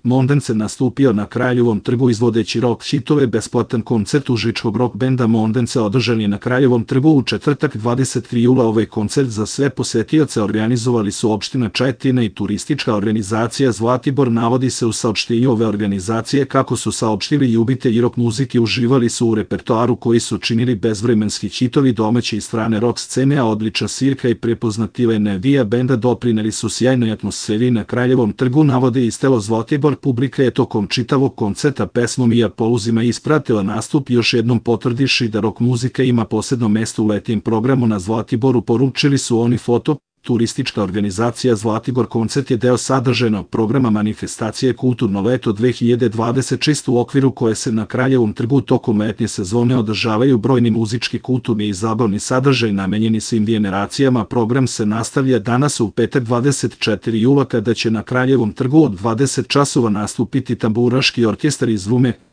Mondence nastupio na Kraljevom trgu izvodeći rock hitove. Besplatan koncert užičkog rock benda Mondence održan je na Kraljevom trgu u četvrtak 20. jula. Ovaj koncert za sve posetioce organizovali su opština Čajetina i turistička organizacija Zlatibor. Navodi se u saopštenju ove organizacije kako su saopštili ljubitelji rock muzike uživali su u repertoaru koji su činili bezvremenski hitovi domaće i strane rock scene, a odlična svirka i prepoznativa energija benda doprineli su sjajnoj atmosferi na Kraljevom trgu, navode iz telo Zlatibor. Publika je tokom čitavog koncerta pesmom i aplauzima ispratila nastup, još jednom potvrdiši da rock muzika ima posebno mesto u letnjem programu na Zlatiboru, poručili su oni foto. Turistička organizacija Zlatibor koncert je deo sadržajnog programa manifestacije Kulturno leto 2026 u okviru koje se na Kraljevom trgu tokom letnje sezone održavaju brojni muzički, kulturni i zabavni sadržaj namenjeni svim generacijama. Program se nastavlja danas u petak 24. jula kada će na Kraljevom trgu od 20 časova nastupiti tamburaški orkestar iz Rume.